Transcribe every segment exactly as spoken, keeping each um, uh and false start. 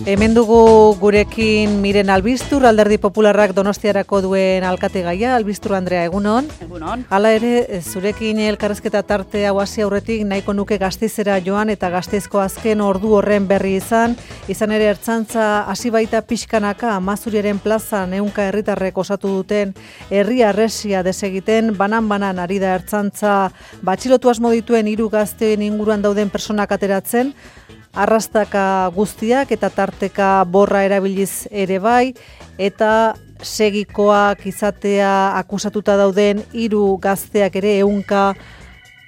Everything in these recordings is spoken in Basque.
Hemen dugu gurekin Miren Albistur, Alderdi Popularrak Donostiarako duen alkategaia. Albistur Andrea, egunon. Egunon. Hala ere, zurekin elkarrezketa tarte hau hasi aurretik nahiko nuke Gasteizera joan eta Gasteizko azken ordu horren berri izan. Izan ere ertzantza hasi baita pixkanaka Amazuriaren plazan ehunka herritarrek osatu duten herri arresia desegiten, banan-banan ari da ertzantza batxilotu asmo dituen hiru gazteen inguruan dauden personak ateratzen, arrastaka guztiak eta tarteka borra erabiliz ere bai, eta segikoak izatea akusatuta dauden hiru gazteak ere ehunka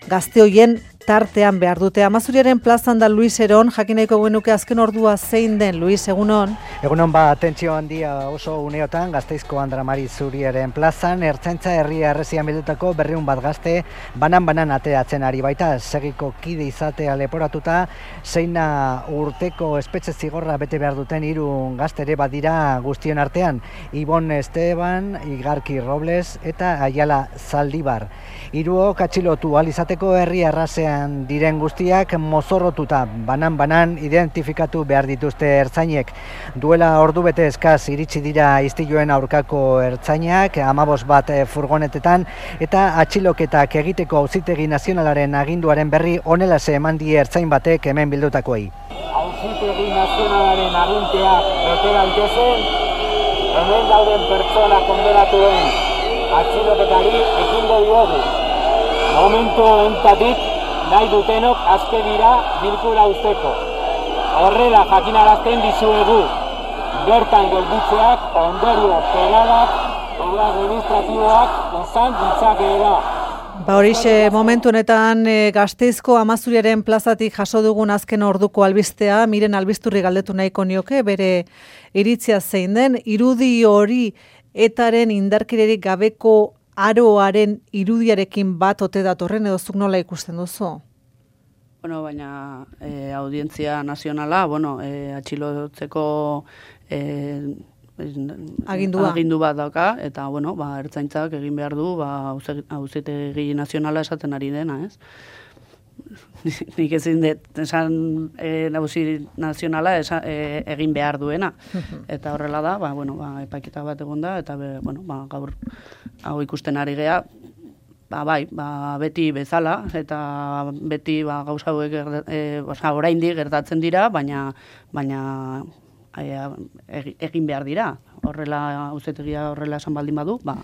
gazte hoien tartean behar dute. Amazuriaren plazan da Luis Eron, jakin nahiko genuke azken ordua zein den, Luis, egunon? Egunon ba, atentzio handia oso uneotan, Gasteizko Andramari Zuriaren plazan, ertzaintza herri arresian bildutako berriun bat gazte, banan-banan ateratzen ari baita, segiko kide izatea leporatuta, zeina urteko espetxe zigorra bete behar duten hiru gazte ere badira guztion artean, Ibon Esteban, Igarki Robles eta Ayala Zaldibar. Hiruok atxilotu ahal izateko herri arrasean diren guztiak mozorrotuta banan-banan identifikatu behar dituzte ertzainek. Duela ordu bete eskaz iritsi dira istiluen aurkako ertzainak, hamabost bat furgonetetan, eta atxiloketak egiteko Auzitegi Nazionalaren aginduaren berri honelaxe eman die ertzain batek hemen bildutakoei. Auzitegi Nazionalaren aginteak bete daitezen, hemen dauden pertsona kondenatuen atxiloketari ekingo diogu. Momentu honetatik nahi dutenok aske dira bilkura usteko. Horrela jakinarazten dizuegu, bertan gelditzeak ondorio penalak edo administratiboak izan ditzakeela. Ba horixe, momentu honetan e, Gasteizko Amazuriaren plazatik jaso dugun azken orduko albistea, Miren Albisturri galdetu nahiko nioke, bere iritzia zein den, irudi hori etaren indarkererik gabeko aroaren irudiarekin bat ote datorren edo zuk nola ikusten duzu? Bueno, baina e, audientzia nazionala, bueno, e, atxilotzeko e, agindua. agindu bat dauka, eta, bueno, ba, ertzaintzak egin behar du, ba, Auzitegi Nazionala esaten ari dena, ez? Nik ezin dut, esan e, Auzi Nazionala esa, e, egin behar duena. Eta horrela da, ba, bueno, ba, epaiketa bat egon da, eta be, bueno, ba, gaur hau ikusten ari gea, ba, bai, ba, beti bezala, eta beti ba, gauza hauek e, oza, oraindik gertatzen dira, baina, baina e, egin behar dira. Horrela, Auzitegia horrela esan baldin badu, ba,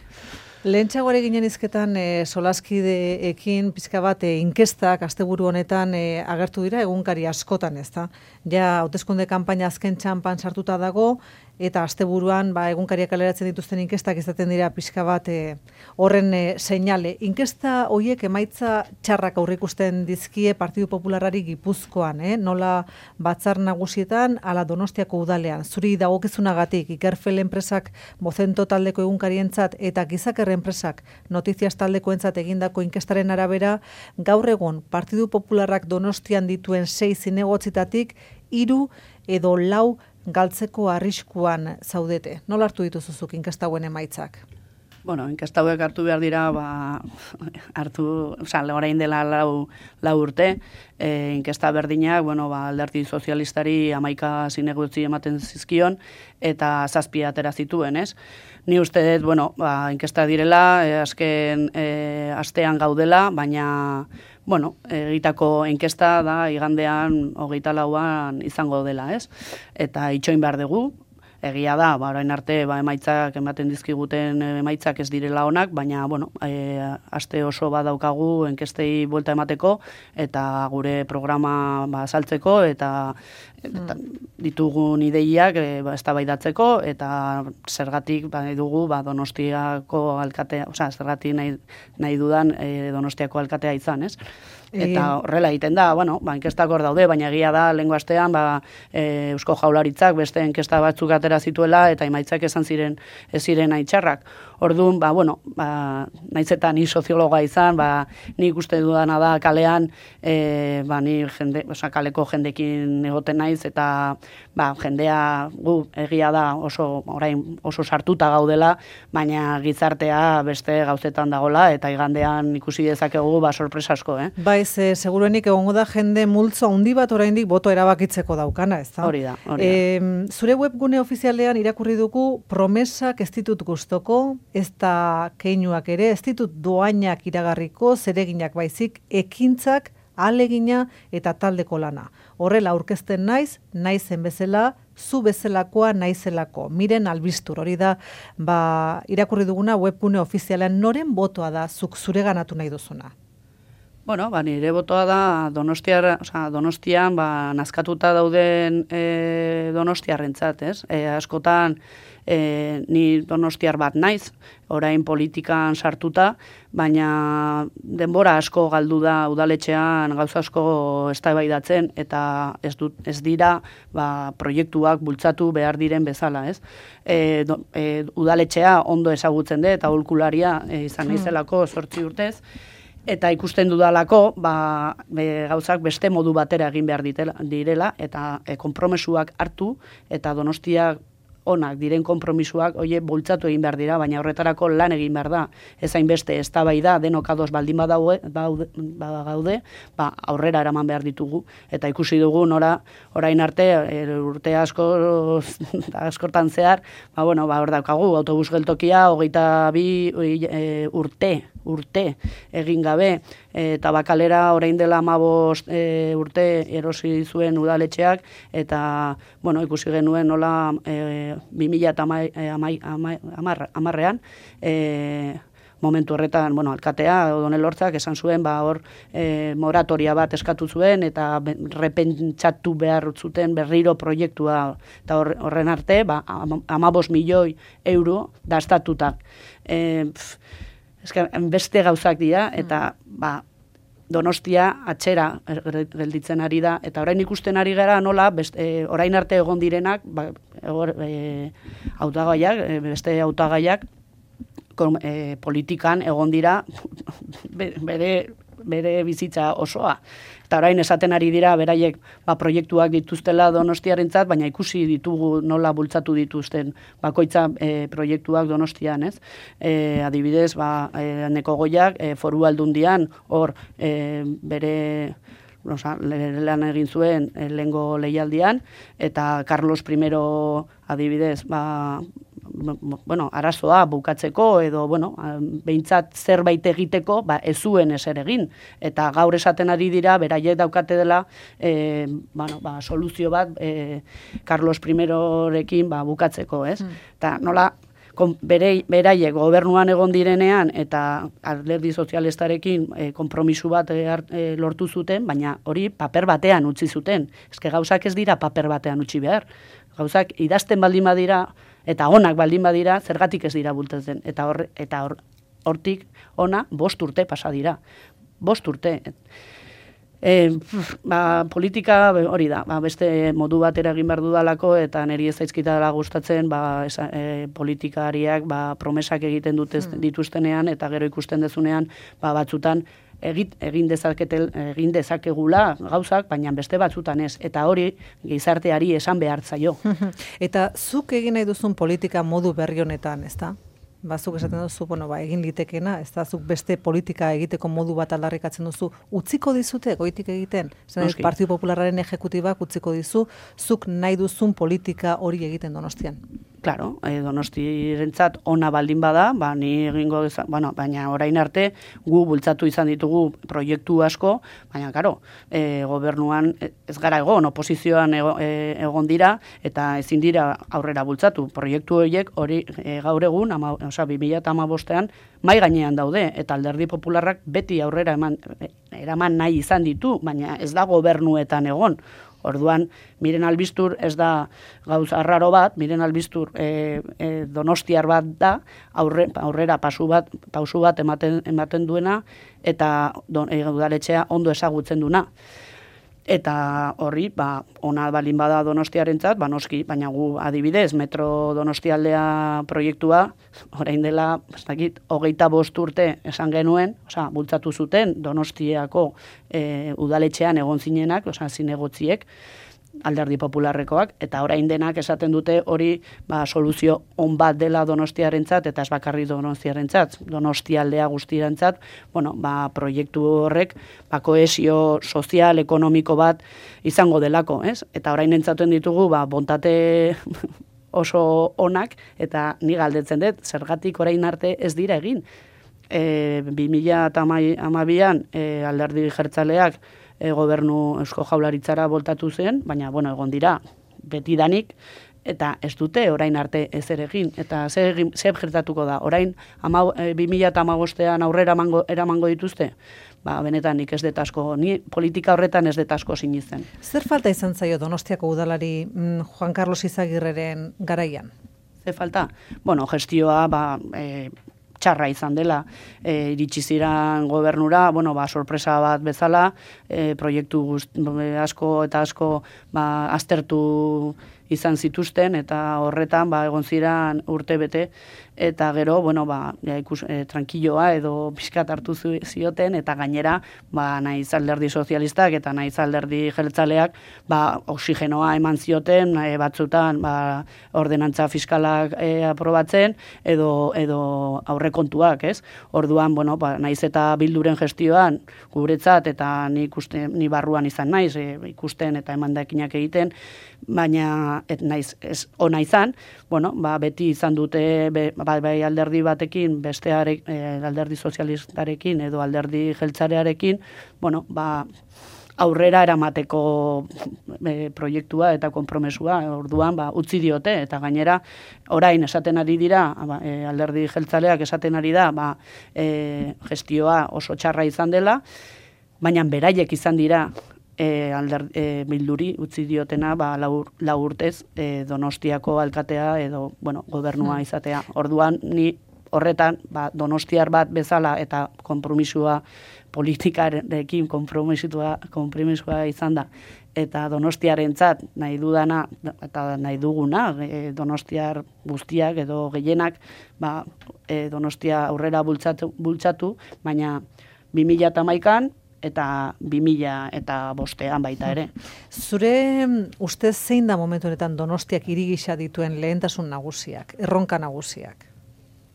Lehentxagoare ginen izketan e, solaskideekin pizka bat e, inkestak asteburu honetan e, agertu dira egunkari askotan, ezta? Ja, hauteskunde kanpaina azken txanpan sartuta dago, eta asteburuan ba, egunkariak kaleratzen dituzten inkestak izaten dira pizka bat e, horren e, seinale. Inkesta horiek emaitza txarrak aurreikusten dizkie Partidu Popularrari Gipuzkoan, eh? Nola batzar nagusietan, ala Donostiako udalean. Zuri dagokizunagatik, Ikerfel enpresak Bozento taldeko egunkarientzat eta Gizaker enpresak Notizias taldekoentzat egindako inkestaren arabera, gaur egun Partidu Popularrak Donostian dituen sei zinegotzitatik hiru edo lau galtzeko arriskuan zaudete. Nola hartu dituzuzuk inkesta hauen emaitzak? Bueno, inkesta hauek hartu behar dira, ba, hartu, oza, orain dela lau, lau urte, e, inkesta berdinak, bueno, ba, Alderdi Sozialistari hamaika zinegotzi ematen zizkion, eta zazpi atera zituen, ez? Ni uste dut, bueno, ba, inkesta direla, e, azken e, astean gaudela, baina, bueno, egitako inkesta da igandean hogeita lauan izango dela, ez? Eta itxoin behar dugu. Egia da, ba, orain arte ba, emaitzak ematen dizkiguten emaitzak ez direla onak, baina bueno, e, aste oso badaukagu enkestei buelta emateko eta gure programa ba, saltzeko eta, eta ditugun ideiak e, ba, eztabaidatzeko eta zergatik ba, nahi dugu ba, Donostiako alkatea, osea, zergatik nahi, nahi dudan e, Donostiako alkatea izan, ez? Eta horrela egiten da, bueno, ba, inkestak hor daude, baina egia da, lehengo astean, ba, e, Eusko Jaurlaritzak beste inkesta batzuk atera behar zituela eta emaitzak esan ziren ez ziren aitxarrak. Orduan, ba, bueno, ba, naiz eta ni soziologa izan, ba, ni ikuste dudana da kalean, e, ba, ni jende, oza, kaleko jendekin egoten naiz, eta ba, jendea gu egia da oso, orain oso sartuta gaudela, baina gizartea beste gauzetan dagola, eta igandean ikusi dezakegu ba, sorpresa asko, eh? Baiz, e, seguruenik egongo da jende multzo handi bat oraindik boto erabakitzeko daukana, ez da? Hori da, hori da. E, zure webgune ofizialean irakurri dugu promesak ez ditut gustoko, ez da keinuak ere, ez ditut doainak iragarriko, zereginak baizik, ekintzak, alegina eta taldeko lana. Horrela aurkezten naiz, naizen bezala, zu bezalakoa naizelako. Miren Albistur, hori da, ba, irakurri duguna webgune ofizialean noren botoa da zuk zure ganatu nahi duzuna? Bueno, ba, nire botoa da Donostiar, oza, Donostian ba, nazkatuta dauden e, Donostiarrentzat, ez? E, askotan e, ni Donostiar bat naiz, orain politikan sartuta, baina denbora asko galdu da udaletxean gauza asko eztabaidatzen eta ez, dut, ez dira ba, proiektuak bultzatu behar diren bezala, ez? E, do, e, udaletxea ondo ezagutzen dut eta aholkularia e, izan naizelako zortzi urtez, eta ikusten dudalako, ba, be, gauzak beste modu batera egin behar ditela, direla, eta e, konpromesuak hartu, eta Donostiak onak diren konpromisuak, oie, bultzatu egin behar dira, baina horretarako lan egin behar da. Ez hainbeste eztabaida denok ados baldin badaude, badaude, ba, aurrera eraman behar ditugu. Eta ikusi dugu nora, orain arte, er, urte asko, askortan zehar, ba, bueno, ba, hor daukagu, autobus geltokia, hogeita bi e, urte, urte egin gabe, e, tabakalera orain dela hamabost e, urte erosi zuen udaletxeak, eta, bueno, ikusi genuen nola e, bi mila hamarrean, e, momentu horretan, bueno, alkatea, Odonel Hortzak, esan zuen, ba, hor, e, moratoria bat eskatu zuen, eta repentsatu behar zuten berriro proiektua, eta horren arte, ba, hamabost milioi euro dastatuta. E, Eske, beste gauzak dira, eta ba, Donostia atxera gelditzen ari da, eta orain ikusten ari gara nola, beste, e, orain arte egon direnak, ba, egor, e, hautagaiak, e, beste hautagaiak, e, politikan egon dira bere, bere bizitza osoa. Eta orain esaten ari dira, beraiek ba, proiektuak dituztela Donostiarentzat, baina ikusi ditugu nola bultzatu dituzten bakoitza e, proiektuak Donostian, ez? E, adibidez, ba, e, Neko Goiak, e, foru aldundian, hor e, bere oza, lan egin zuen e, lehengo leialdian, eta Carlos primero adibidez, ba, bueno, arazoa bukatzeko edo, bueno, behintzat zerbait egiteko, ba, ez zuen ezer egin. Eta gaur esaten ari dira, beraiek daukate dela, e, bueno, ba, soluzio bat e, Carlos primerorekin ba, bukatzeko, ez? Eta mm. nola, kon, bere, beraiek gobernuan egon direnean eta alderdi sozialistarekin e, konpromisu bat e, e, lortu zuten, baina hori paper batean utzi zuten. Eske gauzak ez dira paper batean utzi behar. Gauzak idazten baldin badira, eta onak baldin badira, zergatik ez dira bultatzen. Eta hor, eta hor, hortik ona bost urte pasa dira. Bost urte. E, ba, politika hori da, ba, beste modu batera egin behar dudalako, eta niri ez zaizkita dela gustatzen ba, esa, e, politikariak ba, promesak egiten dut dituztenean, eta gero ikusten dezunean ba, batzutan, Egit, egin, dezaketel, egin dezakegula gauzak, baina beste batzutan ez. Eta hori gizarteari esan behar zaio. Eta zuk egin nahi duzun politika modu berri honetan, ez da? Ba, zuk esaten duzu, bueno, ba, egin litekena, ez da, zuk beste politika egiteko modu bat aldarrikatzen duzu, utziko dizute, goitik egiten? Zer, Partidu Popularraren ejekutibak utziko dizu, zuk nahi duzun politika hori egiten Donostian? Claro, eh, Donostiarentzat ona baldin bada, ba, ni egingo deza, bueno, baina orain arte gu bultzatu izan ditugu proiektu asko, baina karo, eh, gobernuan ez gara egon, oposizioan ego, eh, egon dira, eta ezin dira aurrera bultzatu. Proiektu horiek hori eh, gaur egun, ama, osea, bi mila hamabostean mai gainean daude, eta Alderdi Popularrak beti aurrera eman, eraman nahi izan ditu, baina ez da gobernuetan egon. Orduan, Miren Albistur ez da gauz arraro bat, Miren Albistur e, e, donostiar bat da, aurre, aurrera pasu bat, pausu bat ematen, ematen duena, eta don, e, udaletxea ondo ezagutzen duena. Eta horri, ba, ona balin bada Donostiarentzat, ba noski, baina gu adibidez, Metro Donostialdea proiektua, orain dela, ez dakit, hogeita bost urte esan genuen, osea, bultzatu zuten Donostiako e, udaletxean egon zinenak, osea, zinegotziek, Alderdi Popularrekoak, eta orain denak esaten dute hori ba, soluzio on bat dela Donostiarentzat, eta ez bakarri Donostiarentzat, Donostialdea guztiarentzat, bueno, ba, proiektu horrek ba, kohesio sozial, ekonomiko bat izango delako, ez? Eta orain entzaten ditugu, ba, bontate oso onak, eta ni galdetzen dut, zergatik orain arte ez dira egin. E, bi mila hamabian e, Alderdi Jeltzaleak E, gobernu Eusko Jaurlaritzara voltatu zen, baina bueno, egon dira betidanik, eta ez dute orain arte ez ere egin. Eta zer gertatuko da, orain e, bi mila hamabostean aurrera mango, eramango dituzte? Ba, benetan nik ez detasko, ni politika horretan ez detasko sinitzen. Zer falta izan zaio Donostiako udalari mm, Juan Carlos Izagirreren garaian? Zer falta? Bueno, gestioa, ba... E, txarra izan dela, e, iritsi ziren gobernura, bueno, ba, sorpresa bat bezala, e, proiektu gust, asko eta asko ba, aztertu izan zituzten, eta horretan ba, egon ziren urte bete, eta gero, bueno, ba, ja, ikus, e, tranquilloa edo pixkat hartu zioten, eta gainera, ba, naiz Alderdi Sozialistak eta naiz Alderdi Jeltzaleak, ba, oxigenoa eman zioten, e, batzutan, ba, ordenantza fiskalak e, aprobatzen, edo, edo aurrekontuak, ez? Orduan, bueno, ba, naiz eta Bilduren gestioan, guretzat, eta ni, ikuste, ni barruan izan naiz, e, ikusten eta emandakinak egiten, baina et naiz ez ona izan, bueno, ba, beti izan dute be, bai, bai alderdi batekin, bestearek, e, alderdi sozialistarekin edo alderdi jeltzarearekin, bueno, ba, aurrera eramateko e, proiektua eta konpromesua, orduan ba, utzi diote, eta gainera orain esaten ari dira, ba, e, alderdi jeltzaleak esaten ari da, ba, e, gestioa oso txarra izan dela, baina beraiek izan dira, E, alder, e, Bilduri utzi diotena ba, lau, lau urtez e, Donostiako alkatea edo bueno, gobernua izatea. Orduan ni horretan ba, donostiar bat bezala eta konpromisua politikarekin konpromisua, konpromisua izan da. Eta donostiarentzat nahi dudana eta nahi duguna e, donostiar guztiak edo gehienak ba, e, Donostia aurrera bultzatu, bultzatu baina bi mila hamaikan eta bi mila eta bostean baita ere. Zure ustez zein da momentu honetan Donostiak hiri gisa dituen lehentasun nagusiak, erronka nagusiak?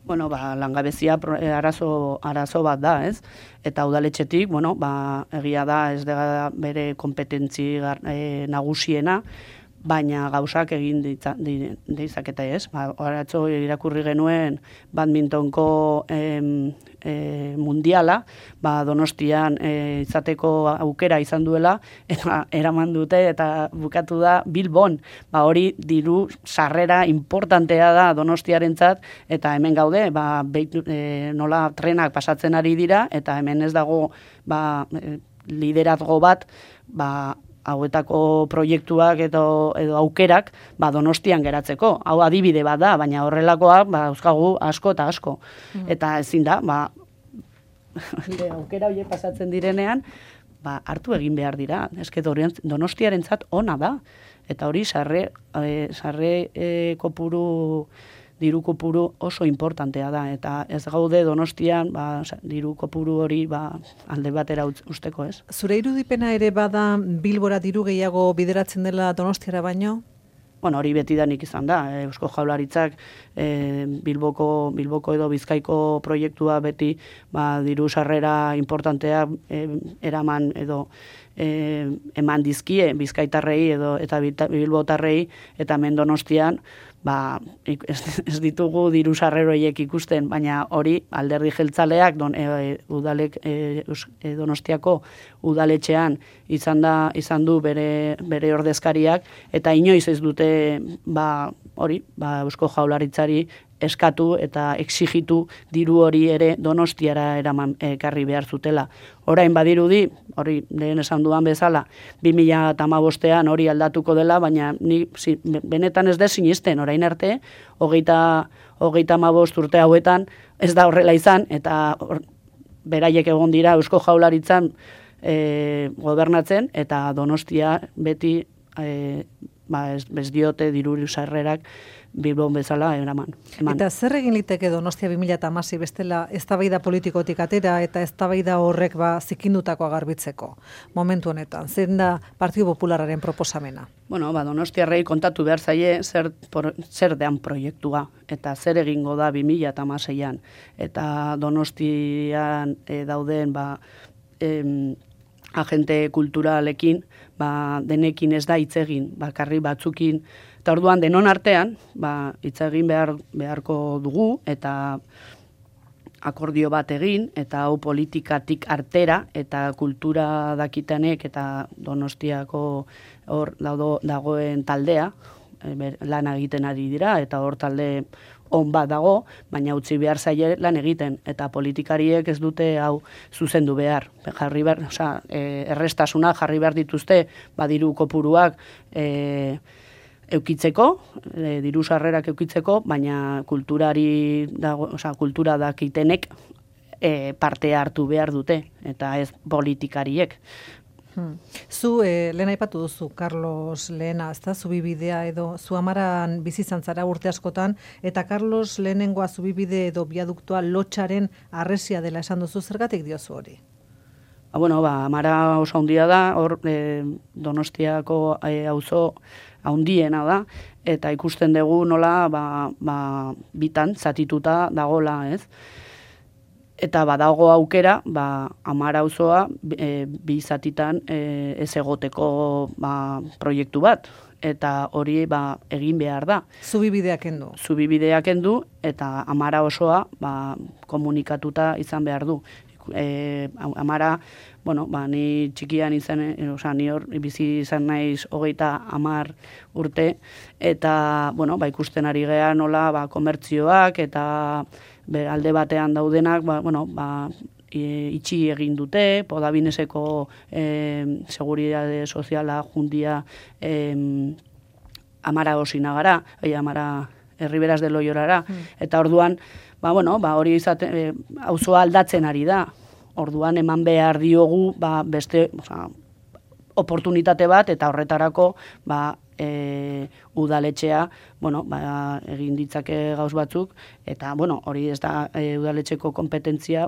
Bueno, ba, langabezia arazo, arazo bat da, ez? Eta udaletxetik, bueno, ba, egia da ez da bere kompetentzi e, nagusiena, baina gauzak egin ditzaketa ez. Ba, Horatzo irakurri genuen badmintonko em, e, mundiala, ba, Donostian e, izateko aukera izan duela, eta eraman dute eta bukatu da Bilbon. Ba, hori diru sarrera importantea da Donostiarentzat, eta hemen gaude, ba, beitu, e, nola trenak pasatzen ari dira, eta hemen ez dago ba, liderazgo bat, ba, hauetako proiektuak edo, edo aukerak ba, Donostian geratzeko. Hau adibide bat da, baina horrelakoak ba, euskagu asko eta asko. Mm. Eta ezin da, ba, aukera horiek pasatzen direnean, ba, hartu egin behar dira. Eske Donostiarentzat ona da. Eta hori sarre, e, sarre e, kopuru diru kopuru oso importantea da, eta ez gaude Donostian ba, diru kopuru hori ba, alde batera usteko, ez? Zure irudipena ere bada Bilbora diru gehiago bideratzen dela Donostiara baino? Bueno, hori betidanik izan da. Eusko Jaurlaritzak e, Bilboko, Bilboko edo Bizkaiko proiektua beti ba, diru sarrera importantea e, eraman edo e, eman dizkie Bizkaitarrei edo eta Bilbotarrei, eta hemen Donostian ba, ez, ez ditugu diru sarreroiek ikusten, baina hori Alderdi Jeltzaleak don, e, udalek, e, e, Donostiako udaletxean izan da izan du bere, bere ordezkariak, eta inoiz ez dute ba, hori ba, Eusko Jaurlaritzari eskatu eta exigitu diru hori ere Donostiara eraman ekarri behar zutela. Orain badirudi, hori lehen esan duan bezala, bi mila hamabostean hori aldatuko dela, baina ni zi, benetan ez da sinisten, orain arte, hogeita, hogeita hamabost urte hauetan ez da horrela izan, eta or, beraiek egon dira Eusko Jaurlaritzan e, gobernatzen, eta Donostia beti e, ba, ez, ez diote diru sarrerak Bilbon bezala eraman. Eman. Eta zer egin liteke Donostia bi mila hamasei bestela eztabaida politikotik atera eta eztabaida horrek ba zikindutakoa garbitzeko momentu honetan? Zein da Partidu Popularraren proposamena? Bueno, ba, Donostiarrei kontatu behar zaie zer, por, zer dean proiektua eta zer egingo da bi mila hamaseian. Eta Donostian e, dauden ba, em, agente kulturalekin, ba, denekin ez da hitz egin, bakarri batzukin. Eta orduan denon artean, ba, hitz egin behar, beharko dugu, eta akordio bat egin, eta hau politikatik artera, eta kultura dakitanek, eta Donostiako hor daudo, dagoen taldea, e, ber, lan egiten ari dira, eta hor talde on bat dago, baina utzi behar zaie lan egiten, eta politikariek ez dute hau zuzendu behar. Jarri behar, osea, e, errestasuna jarri behar dituzte, badiru kopuruak, e, eukitzeko, e, diru sarrerak eukitzeko, baina kulturari dago, osea, kultura dakitenek e, parte hartu behar dute, eta ez politikariek. Hmm. Zu, eh, lehen aipatu duzu, Carlos Lehena, ezta, zubibidea edo, zu amaran bizi izan zara urte askotan, eta Carlos Lehenengoa zubibide edo biaduktoa lotxaren arresia dela esan duzu, zergatik diozu hori? Ba, bueno, ba, amara oso handia da, hor e, Donostiako e, auzo handiena da, eta ikusten dugu nola ba, ba, bitan zatituta dagola, ez? Eta badago aukera, ba, amara auzoa e, bi zatitan e, ez egoteko ba, proiektu bat, eta hori ba, egin behar da. Zubibideak endu. Zubibideak endu, eta amara osoa ba, komunikatuta izan behar du. E, amara, bueno, ba, ni txikian izan, e, oza, ni hor bizi izan naiz hogeita amar urte, eta, bueno, ba, ikusten ari gea nola, ba, komertzioak, eta be, alde batean daudenak, ba, bueno, ba, e, itxi egin dute, Podabineseko e, seguridade soziala jundia e, amara osina gara, e, amara Herriberas de Loiorara, mm. eta orduan, ba, bueno, ba, hori izate, e, auzoa aldatzen ari da. Orduan eman behar diogu ba, beste, oza, oportunitate bat, eta horretarako ba, e, udaletxea, bueno, ba, egin ditzake gauz batzuk, eta bueno, hori ez da e, udaletxeko kompetentzia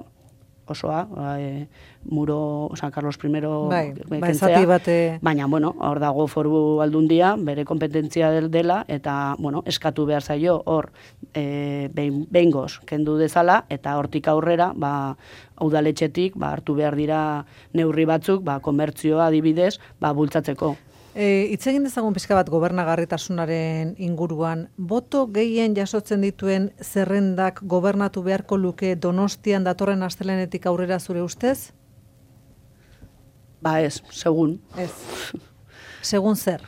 osoa, ba, e, muro, San Carlos primero bai, kentzea, bate... baina, bueno, hor dago foru aldundia, bere kompetentzia del dela, eta, bueno, eskatu behar zaio, hor, e, behin goz, kendu dezala, eta hortik aurrera, ba, udaletxetik, ba, hartu behar dira neurri batzuk, ba, komertzioa adibidez, ba, bultzatzeko. E, Itz egin dezagun pixka bat gobernagarritasunaren inguruan, boto gehien jasotzen dituen zerrendak gobernatu beharko luke Donostian datorren astelenetik aurrera zure ustez? Ba ez, segun. Ez. Segun zer?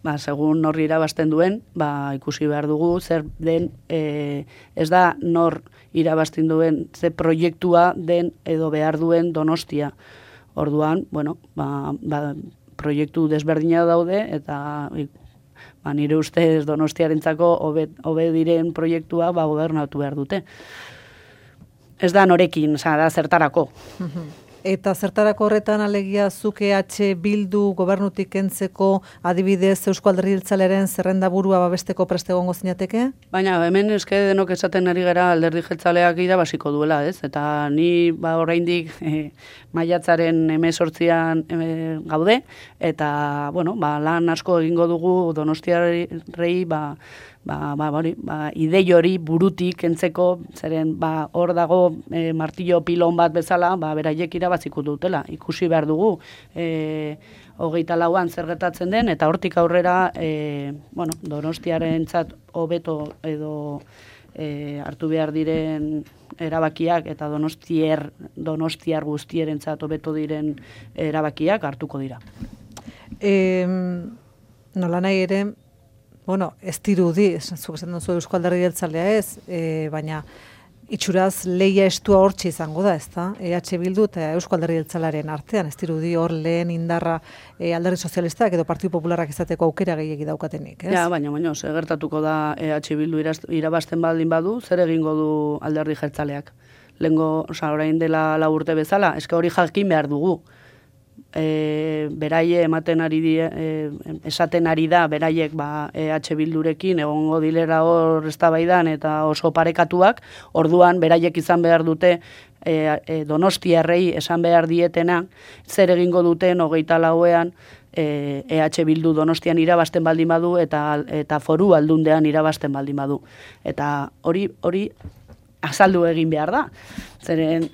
Ba, segun nor irabazten duen, ba, ikusi behar dugu, zer den, e, ez da nor irabazten duen, ze proiektua den edo behar duen Donostia. Orduan, bueno, ba, ba, proiektu desberdina daude, eta ba, nire ustez Donostiarentzako hobe, hobe diren proiektua ba, gobernatu behar dute. Ez da norekin, oza, da zertarako. Eta zertarako horretan alegia zuke H Bildu gobernutik kentzeko adibidez Eusko Alderdi Jeltzalearen zerrendaburua babesteko preste egongo zinateke? Baina hemen eske denok esaten ari gara Alderdi Jeltzaleak irabaziko duela, ez? Eta ni ba oraindik e, maiatzaren hemezortzian e, gaude, eta bueno, ba, lan asko egingo dugu Donostiarrei ba Ba, ba, bori, ba, idei hori burutik kentzeko, zeren ba, hor dago e, martillo pilon bat bezala, ba, beraiek irabaziko dutela. Ikusi behar dugu, e, hogeita lauan zer gertatzen den, eta hortik aurrera, e, bueno, Donostiarentzat hobeto edo e, hartu behar diren erabakiak, eta Donostier, Donostiar guztierentzat hobeto diren erabakiak hartuko dira. E, nola nahi ere, bueno, ez dirudi, zuk esan duzu Eusko Alderdi Jeltzalea ez, e, baina itxuraz leia estua hortxe izango da, ezta? E H Bildu eta Eusko Alderdi Jeltzalearen artean, ez dirudi hor lehen indarra e, Alderdi Sozialistak edo Partidu Popularrak izateko aukera gehiegi daukatenik, ez? Ja, baina, baina, zer gertatuko da E H Bildu irabazten baldin badu, zer egingo du Alderdi Jeltzaleak? Lengo, oza, orain dela lau urte bezala, eske hori jakin behar dugu. e, beraie ematen ari di, e, esaten ari da, beraiek ba, E H Bildurekin egongo dilera hor eztabaidan eta oso parekatuak, orduan beraiek izan behar dute e, e, Donostiarrei esan behar dietena, zer egingo duten hogeita lauean, E H Bildu Donostian irabazten baldin badu eta eta foru aldundean irabazten baldin badu. Eta hori hori azaldu egin behar da. Zeren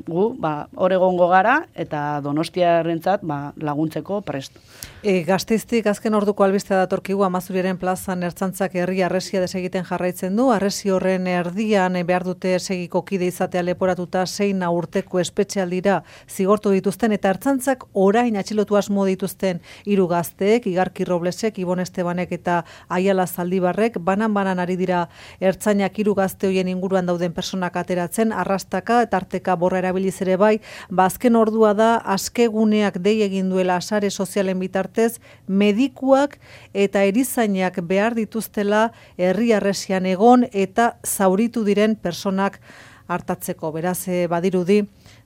gu ba hor egongo gara eta Donostiarrentzat ba laguntzeko prest. E, Gasteiztik azken orduko albistea datorkigu Amazuriaren plazan ertzantzak herri arresia desegiten jarraitzen du. Arresi horren erdian behar dute segiko kide izatea leporatuta zein urteko espetxealdira zigortu dituzten eta ertzantzak orain atxilotu asmo dituzten hiru gazteek, Igarki Roblesek, Ibon Estebanek eta Aiala Zaldibarrek, banan-banan ari dira ertzainak hiru gazte hoien inguruan dauden personak ateratzen, arrastaka eta arteka borra erabiliz ere bai, ba azken ordua da askeguneak dei egin duela sare sozialen bitarte medikuak eta erizainak behar dituztela herri arresian egon eta zauritu diren personak hartatzeko. Beraz, badirudi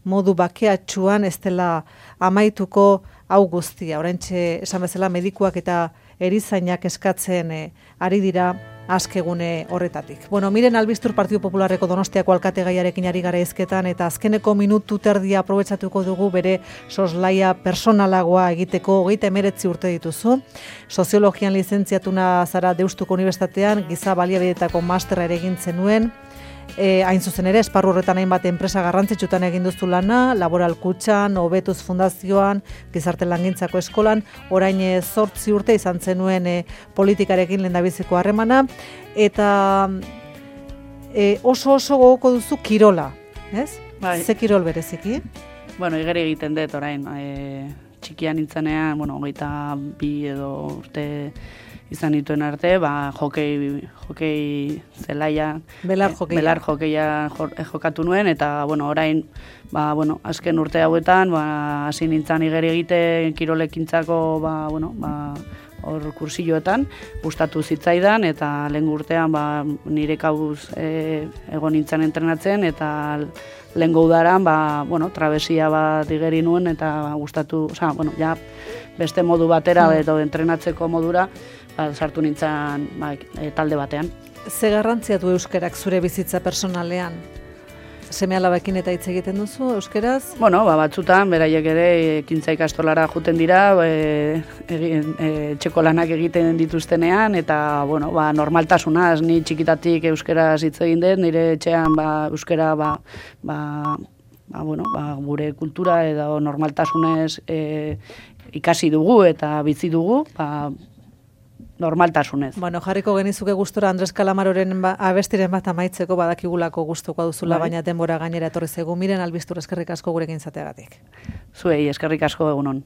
modu bakeatsuan ez dela amaituko hau guztia. Oraintxe esan bezala medikuak eta erizainak eskatzen e, ari dira askegune horretatik. Bueno, miren Albistur Partidu Popularreko Donostiako alkate gaiarekin ari gara hizketan eta azkeneko minutu terdia aprobetxatuko dugu bere soslaia personalagoa egiteko. Hogeita hemeretzi urte dituzu. Soziologian lizentziatuna zara Deustuko Unibertsitatean, giza baliabideetako masterra ere egin zenuen. E, hain zuzen ere, esparru horretan hainbat enpresa garrantzitsutan egin duzu lana, Laboral Kutxan, Hobetuz Fundazioan, Gizarte Langintzako Eskolan, orain zortzi urte izan zenuen e, politikarekin lehendabiziko harremana, eta e, oso oso gogoko duzu kirola, ez? Bai. Ze kirol bereziki? Bueno, igeri egiten dut orain, e, txikian nintzenean, bueno, hogeita bi edo urte izan dituen arte, ba, jokei, jokei zelaia, Belar jokeia. Belar jokeia jokatu nuen, eta, bueno, orain, ba, bueno, azken urte hauetan, ba, hasi nintzen igeri egiten kirolekintzako, ba, bueno, ba, hor kursilloetan, gustatu zitzaidan, eta lehen urtean, ba, nire kabuz e, egon nintzen entrenatzen, eta lehen udaran, ba, bueno, trabesia bat igeri nuen, eta gustatu, oza, bueno, ja, beste modu batera, edo entrenatzeko modura, ba, sartu nintzen ba, e, talde batean. Ze garrantzia du euskerak zure bizitza personalean? Seme-alabekin eta hitz egiten duzu euskeraz? Bueno, ba, batzutan, beraiek ere ekintza ikastolara juten dira, e, egin, e, txeko lanak egiten dituztenean, eta, bueno, ba, normaltasunaz, ni txikitatik euskeraz hitz egin dut, nire etxean, ba, euskera, ba, ba, ba, bueno, ba, gure kultura edo normaltasunez e, ikasi dugu eta bizi dugu, ba, normaltasunez. Bueno, jarriko genizuke gustora Andres Kalamaroren ba, abestiren bat amaitzeko badakigulako gustuko duzula, bai. Baina denbora gainera etorri zaigu. Miren Albistur, eskerrik asko gurekin izateagatik. Zuei, eskerrik asko egunon.